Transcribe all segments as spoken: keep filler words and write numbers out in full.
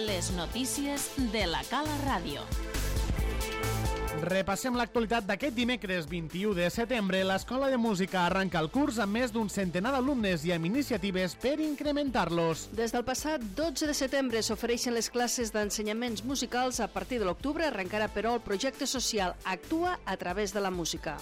Les notícies de la Cala Ràdio. Repassem l'actualitat d'aquest dimecres vint-i-u de setembre. L'Escola de Música arranca el curs amb més d'un centenar d'alumnes i amb iniciatives per incrementar-los. Des del passat dotze de setembre s'ofereixen les classes d'ensenyaments musicals. A partir de l'octubre arrencarà, però, el projecte social Actua a través de la música.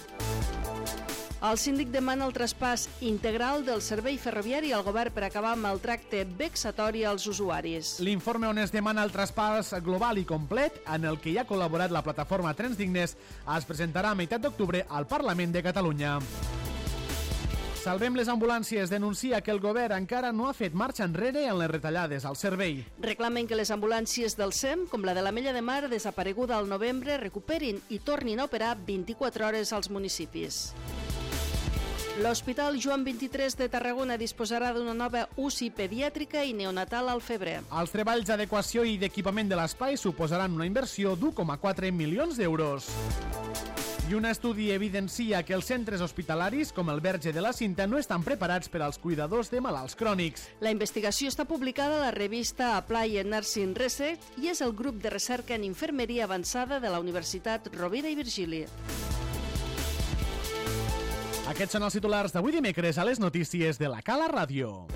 El síndic demana el traspàs integral del servei ferroviari al govern per acabar amb el tracte vexatori als usuaris. L'informe on es demana el traspàs global i complet, en el que hi ha col·laborat la plataforma Trens Dignes, es presentarà a meitat d'octubre al Parlament de Catalunya. Salvem les ambulàncies denuncia que el govern encara no ha fet marxa enrere en les retallades al servei. Reclamen que les ambulàncies del S E M, com la de l'Ametlla de Mar, desapareguda al novembre, recuperin i tornin a operar vint-i-quatre hores als municipis. L'Hospital Joan vint-i-tres de Tarragona disposarà d'una nova U C I pediàtrica i neonatal al febrer. Els treballs d'adequació i d'equipament de l'espai suposaran una inversió d'u coma quatre milions d'euros. I un estudi evidencia que els centres hospitalaris, com el Verge de la Cinta, no estan preparats per als cuidadors de malalts crònics. La investigació està publicada a la revista Applied Nursing Research i és el grup de recerca en infermeria avançada de la Universitat Rovira i Virgili. Aquests són els titulars d'avui dimecres a les notícies de la Cala Ràdio.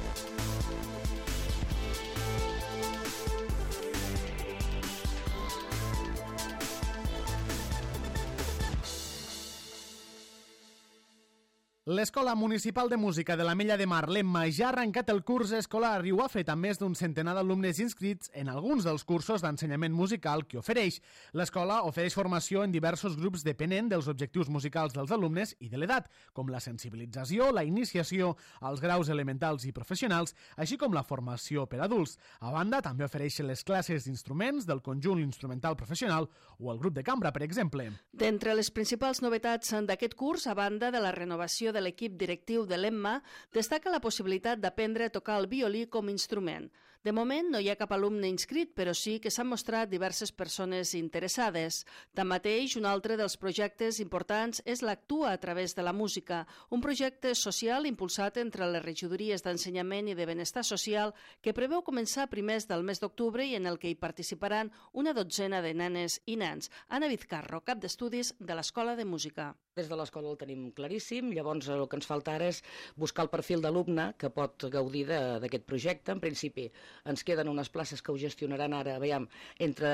L'Escola Municipal de Música de l'Ametlla de Mar, l'Emma, ja ha arrencat el curs escolar i ho ha fet amb més d'un centenar d'alumnes inscrits en alguns dels cursos d'ensenyament musical que ofereix. L'escola ofereix formació en diversos grups depenent dels objectius musicals dels alumnes i de l'edat, com la sensibilització, la iniciació, els graus elementals i professionals, així com la formació per adults. A banda, també ofereix les classes d'instruments del conjunt instrumental professional o el grup de cambra, per exemple. D'entre les principals novetats d'aquest curs, a banda de la renovació de l'equip directiu de l'Emma, destaca la possibilitat d'aprendre a tocar el violí com a instrument. De moment no hi ha cap alumne inscrit, però sí que s'han mostrat diverses persones interessades. Tanmateix, un altre dels projectes importants és l'Actua a través de la música, un projecte social impulsat entre les regidories d'ensenyament i de benestar social que preveu començar a primers del mes d'octubre i en el que hi participaran una dotzena de nenes i nens. Ana Vizcarro, cap d'estudis de l'Escola de Música. Des de l'escola el tenim claríssim, llavors el que ens falta ara és buscar el perfil d'alumne que pot gaudir d'aquest projecte. En principi ens queden unes places que ho gestionaran ara, veiem, entre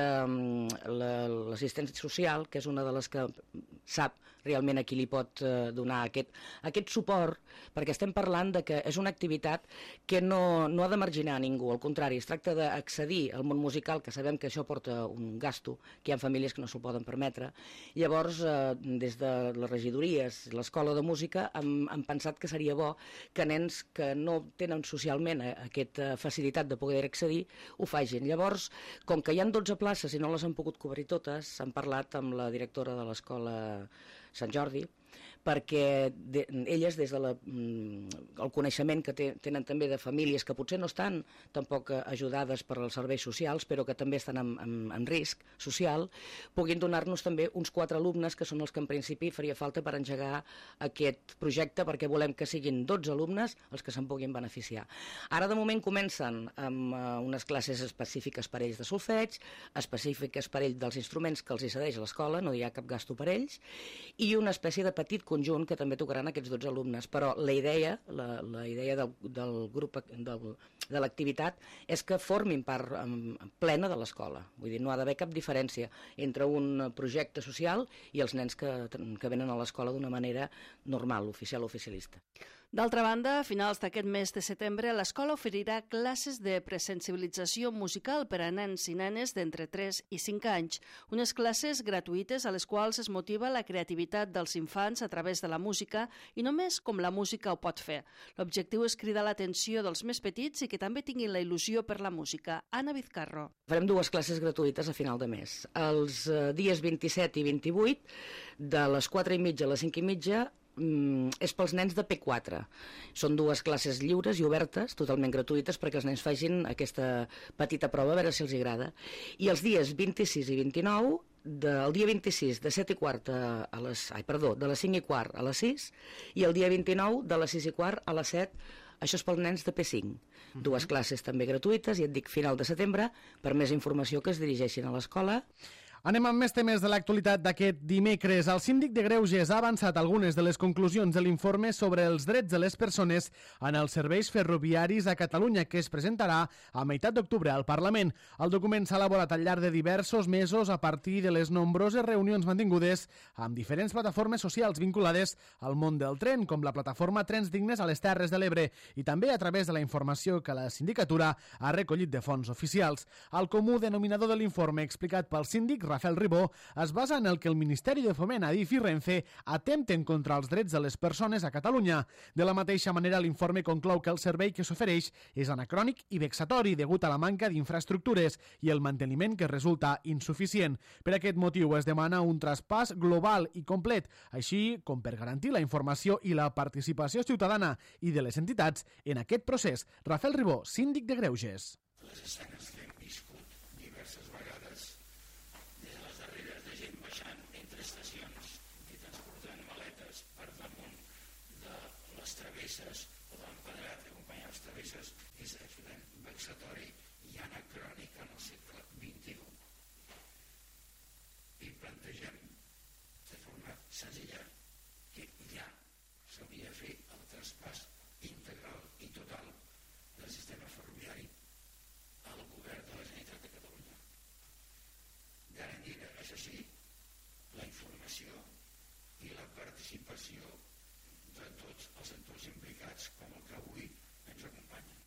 l'assistència social, que és una de les que sap realment a qui li pot donar aquest, aquest suport, perquè estem parlant de que és una activitat que no, no ha de marginar a ningú, al contrari, es tracta d'accedir al món musical, que sabem que això porta un gasto, que hi ha famílies que no s'ho poden permetre. Llavors, eh, des de les regidories, l'escola de música, han, han pensat que seria bo que nens que no tenen socialment aquesta facilitat de poder accedir ho facin. Llavors, com que hi ha dotze places i no les han pogut cobrir totes, s'han parlat amb la directora de l'escola Sant Jordi, perquè de, elles, des del de el coneixement que te, tenen també de famílies que potser no estan tampoc ajudades per als serveis socials, però que també estan en, en, en risc social, puguin donar-nos també uns quatre alumnes que són els que en principi faria falta per engegar aquest projecte, perquè volem que siguin dotze alumnes els que se'n puguin beneficiar. Ara de moment comencen amb uh, unes classes específiques per ells de solfeig, específiques per ells dels instruments que els hi cedeix l'escola, no hi ha cap gasto per ells, i una espècie de petit conjunt que també tocaran aquests dotze alumnes, però la idea, la, la idea del, del grup del, de l'activitat és que formin part um, plena de l'escola. Vull dir, no ha d'haver cap diferència entre un projecte social i els nens que, que venen a l'escola d'una manera normal, oficial o oficialista. D'altra banda, a finals d'aquest mes de setembre, l'escola oferirà classes de presensibilització musical per a nens i nenes d'entre tres i cinc anys, unes classes gratuïtes a les quals es motiva la creativitat dels infants a través de la música i només com la música ho pot fer. L'objectiu és cridar l'atenció dels més petits i que també tinguin la il·lusió per la música. Ana Vizcarro. Farem dues classes gratuïtes a final de mes. Els eh, dies vint-i-set i vint-i-vuit, de les quatre i mitja a les cinc i mitja, és pels nens de P quatre. Són dues classes lliures i obertes, totalment gratuïtes, perquè els nens facin aquesta petita prova a veure si els agrada. I els dies vint-i-sis i vint-i-nou, del dia vint-i-sis de set i quart a les, ai, perdó, de les cinc i quart a les sis, i el dia vint-i-nou de les sis i quart a les set Això és pels nens de P cinc. Uh-huh. Dues classes també gratuïtes, i et dic final de setembre, per més informació que es dirigeixin a l'escola. Anem amb més temes de l'actualitat d'aquest dimecres. El síndic de Greuges ha avançat algunes de les conclusions de l'informe sobre els drets de les persones en els serveis ferroviaris a Catalunya, que es presentarà a meitat d'octubre al Parlament. El document s'ha elaborat al llarg de diversos mesos a partir de les nombroses reunions mantingudes amb diferents plataformes socials vinculades al món del tren, com la plataforma Trens Dignes a les Terres de l'Ebre, i també a través de la informació que la sindicatura ha recollit de fonts oficials. El comú denominador de l'informe explicat pel síndic Rafael Ribó es basa en el que el Ministeri de Foment, Adif i Renfe atempten contra els drets de les persones a Catalunya. De la mateixa manera, l'informe conclou que el servei que s'ofereix és anacrònic i vexatori degut a la manca d'infraestructures i el manteniment que resulta insuficient. Per aquest motiu es demana un traspàs global i complet, així com per garantir la informació i la participació ciutadana i de les entitats en aquest procés. Rafael Ribó, síndic de Greuges. Les escenes que hem viscut diverses vegades, des de les darreres de gent baixant entre estacions i transportant maletes per damunt de les travesses o de l'empedrat que acompanya les travesses, és absolutament vexatori i anacrònic en el segle vint-i-u. I plantegem de forma senzilla que ja s'hauria de fer el traspàs integral i total del sistema ferroviari al govern de la Generalitat de Catalunya. Garantir, això sí, la informació i la participació de tots els actors implicats, com el que avui ens acompanya.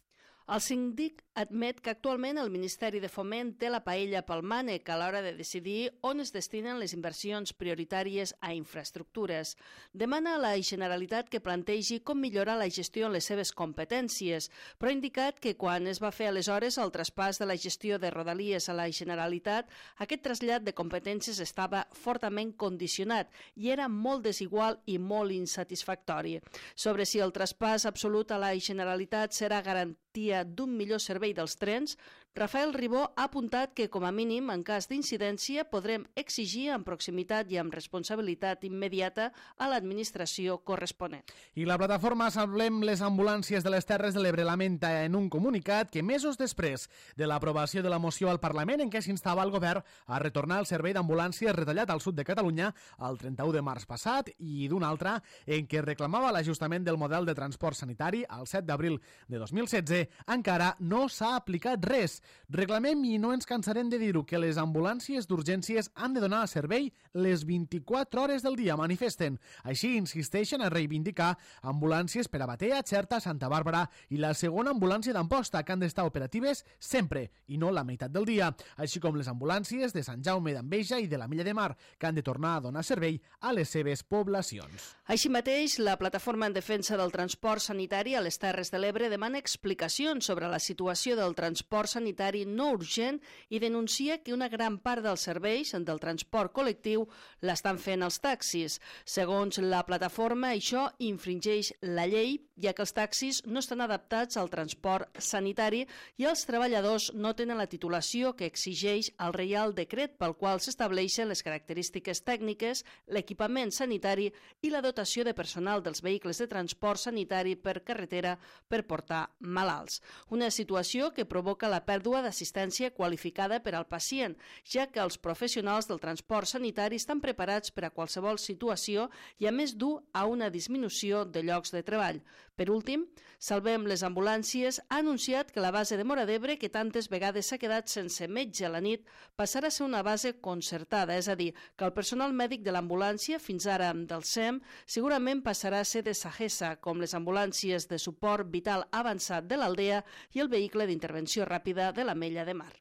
El síndic admet que actualment el Ministeri de Foment té la paella pel mànec a l'hora de decidir on es destinen les inversions prioritàries a infraestructures. Demana a la Generalitat que plantegi com millorar la gestió en les seves competències, però ha indicat que quan es va fer aleshores el traspàs de la gestió de Rodalies a la Generalitat, aquest trasllat de competències estava fortament condicionat i era molt desigual i molt insatisfactori. Sobre si el traspàs absolut a la Generalitat serà garantia d'un millor servei dels trens, Rafael Ribó ha apuntat que, com a mínim, en cas d'incidència, podrem exigir amb proximitat i amb responsabilitat immediata a l'administració corresponent. I la plataforma Salvem les ambulàncies de les Terres de l'Ebre lamenta en un comunicat que mesos després de l'aprovació de la moció al Parlament en què s'instava el govern a retornar el servei d'ambulàncies retallat al sud de Catalunya el trenta-u de març passat i d'un altre en què reclamava l'ajustament del model de transport sanitari el set d'abril de dos mil setze, encara no s'ha aplicat res. Reclamem, i no ens cansarem de dir-ho, que les ambulàncies d'urgències han de donar servei les vint-i-quatre hores del dia, manifesten. Així insisteixen a reivindicar ambulàncies per a Batea, Xerta, Santa Bàrbara i la segona ambulància d'Amposta, que han d'estar operatives sempre i no la meitat del dia, així com les ambulàncies de Sant Jaume d'Enveja i de la Milla de Mar, que han de tornar a donar servei a les seves poblacions. Així mateix, la Plataforma en Defensa del Transport Sanitari a les Terres de l'Ebre demana explicacions sobre la situació del transport sanitari no urgent i denuncia que una gran part dels serveis del transport col·lectiu l'estan fent els taxis. Segons la plataforma, això infringeix la llei, ja que els taxis no estan adaptats al transport sanitari i els treballadors no tenen la titulació que exigeix el Reial Decret pel qual s'estableixen les característiques tècniques, l'equipament sanitari i la dotació de personal dels vehicles de transport sanitari per carretera per portar malalts. Una situació que provoca la pèrdua d'assistència qualificada per al pacient, ja que els professionals del transport sanitari estan preparats per a qualsevol situació i a més dur a una disminució de llocs de treball. Per últim, Salvem les ambulàncies ha anunciat que la base de Móra d'Ebre, que tantes vegades s'ha quedat sense metge a la nit, passarà a ser una base concertada, és a dir, que el personal mèdic de l'ambulància, fins ara del S E M, segurament passarà a ser de Sagessa, com les ambulàncies de suport vital avançat de l'Aldea i el vehicle d'intervenció ràpida de la Mella de Mar.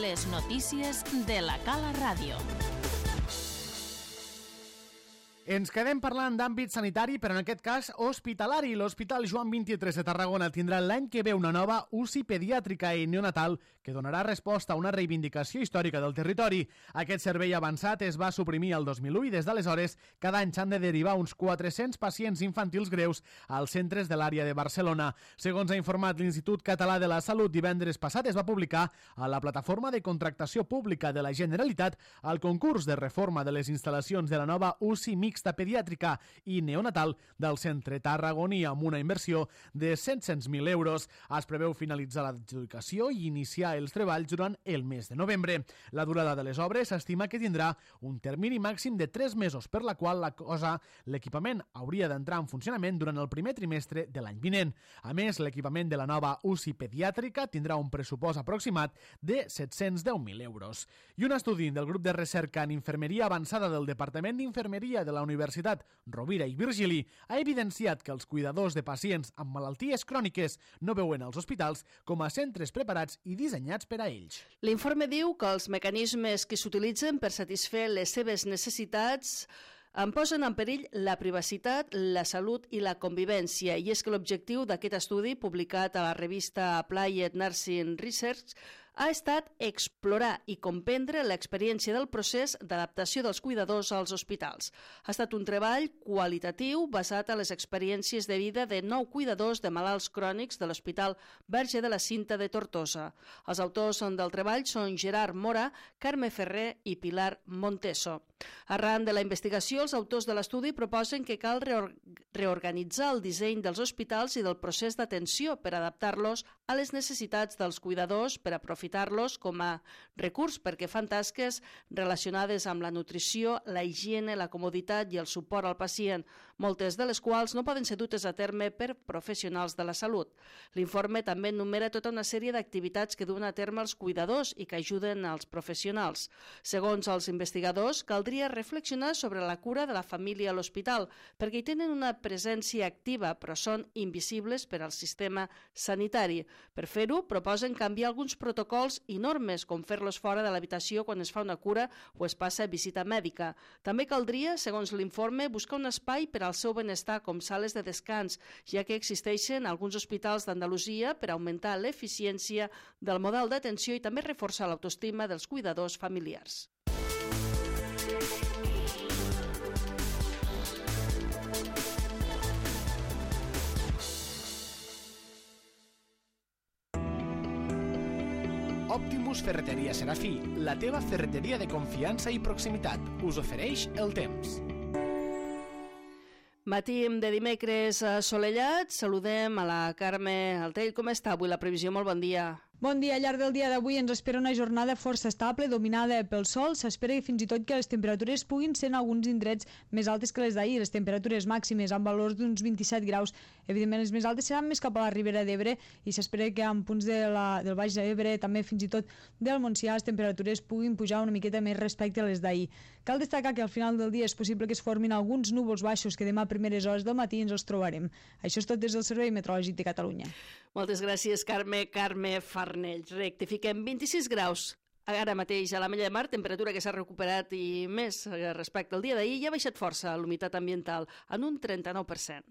Les notícies de la Cala Ràdio. Ens quedem parlant d'àmbit sanitari, però en aquest cas hospitalari. L'Hospital Joan vint-i-tres de Tarragona tindrà l'any que ve una nova U C I pediàtrica i neonatal que donarà resposta a una reivindicació històrica del territori. Aquest servei avançat es va suprimir el dos mil u i des d'aleshores cada any s'han de derivar uns quatre-cents pacients infantils greus als centres de l'àrea de Barcelona. Segons ha informat l'Institut Català de la Salut, divendres passat es va publicar a la plataforma de contractació pública de la Generalitat el concurs de reforma de les instal·lacions de la nova U C I mixta pediàtrica i neonatal del centre tarragoní amb una inversió de set-cents mil euros. Es preveu finalitzar l'adjudicació i iniciar els treballs durant el mes de novembre. La durada de les obres s'estima que tindrà un termini màxim de tres mesos, per la qual la cosa l'equipament hauria d'entrar en funcionament durant el primer trimestre de l'any vinent. A més, l'equipament de la nova U C I pediàtrica tindrà un pressupost aproximat de set-cents deu mil euros. I un estudi del grup de recerca en infermeria avançada del Departament d'Infermeria de la Universitat Rovira i Virgili ha evidenciat que els cuidadors de pacients amb malalties cròniques no veuen els hospitals com a centres preparats i dissenyats per a ells. L'informe diu que els mecanismes que s'utilitzen per satisfer les seves necessitats en posen en perill la privacitat, la salut i la convivència. I és que l'objectiu d'aquest estudi, publicat a la revista Applied Nursing Research, ha estat explorar i comprendre l'experiència del procés d'adaptació dels cuidadors als hospitals. Ha estat un treball qualitatiu basat en les experiències de vida de nou cuidadors de malalts crònics de l'Hospital Verge de la Cinta de Tortosa. Els autors del treball són Gerard Mora, Carme Ferrer i Pilar Monteso. Arran de la investigació, els autors de l'estudi proposen que cal reorganitzar el disseny dels hospitals i del procés d'atenció per adaptar-los a les necessitats dels cuidadors, per aprofitar-los com a recurs perquè fan tasques relacionades amb la nutrició, la higiene, la comoditat i el suport al pacient, moltes de les quals no poden ser dutes a terme per professionals de la salut. L'informe també enumera tota una sèrie d'activitats que duen a terme els cuidadors i que ajuden als professionals. Segons els investigadors, caldria reflexionar sobre la cura de la família a l'hospital, perquè hi tenen una presència activa, però són invisibles per al sistema sanitari. Per fer-ho, proposen canviar alguns protocols i normes, com fer-los fora de l'habitació quan es fa una cura o es passa visita mèdica. També caldria, segons l'informe, buscar un espai per al seu benestar, com sales de descans, ja que existeixen alguns hospitals d'Andalusia per augmentar l'eficiència del model d'atenció i també reforçar l'autoestima dels cuidadors familiars. Optimus Ferreteria Serafí, la teva ferreteria de confiança i proximitat, us ofereix el temps. Matí de dimecres assolellat, saludem a la Carme Altell. Com està avui la previsió? Molt bon dia. Bon dia. Al llarg del dia d'avui ens espera una jornada força estable, dominada pel sol. S'espera fins i tot que les temperatures puguin ser en alguns indrets més altes que les d'ahir. Les temperatures màximes amb valors d'uns vint-i-set graus. Evidentment, les més altes seran més cap a la Ribera d'Ebre i s'espera que en punts de la, del Baix d'Ebre, també fins i tot del Montsià, les temperatures puguin pujar una miqueta més respecte a les d'ahir. Cal destacar que al final del dia és possible que es formin alguns núvols baixos que demà a primeres hores del matí ens els trobarem. Això és tot des del Servei Meteorològic de Catalunya. Moltes gràcies, Carme. Carme Farnell. Rectifiquem, vint-i-sis graus. Ara mateix a l'Ametlla de Mar, temperatura que s'ha recuperat i més respecte al dia d'ahir, i ha baixat força l'humitat ambiental en un trenta-nou per cent.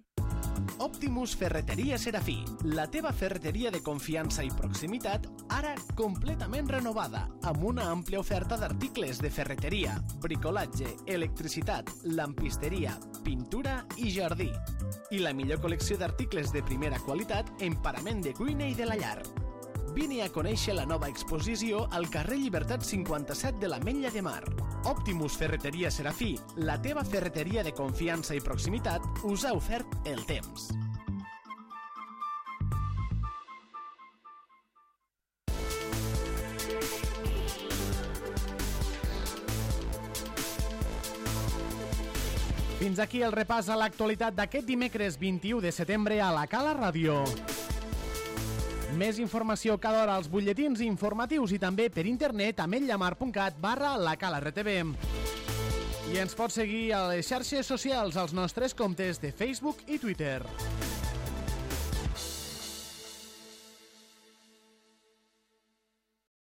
Optimus Ferreteria Serafí, la teva ferreteria de confiança i proximitat, ara completament renovada, amb una àmplia oferta d'articles de ferreteria, bricolatge, electricitat, lampisteria, pintura i jardí. I la millor col·lecció d'articles de primera qualitat en parament de cuina i de la llar. Vine a conèixer la nova exposició al carrer Llibertat cinquanta-set de l'Ametlla de Mar. Optimus Ferreteria Serafí, la teva ferreteria de confiança i proximitat, us ha ofert el temps. Fins aquí el repàs a l'actualitat d'aquest dimecres vint-i-u de setembre a la Cala Ràdio. Més informació cada hora als butlletins informatius i també per internet a ametlllamar.cat barra la Cala R T V. I ens pots seguir a les xarxes socials als nostres comptes de Facebook i Twitter.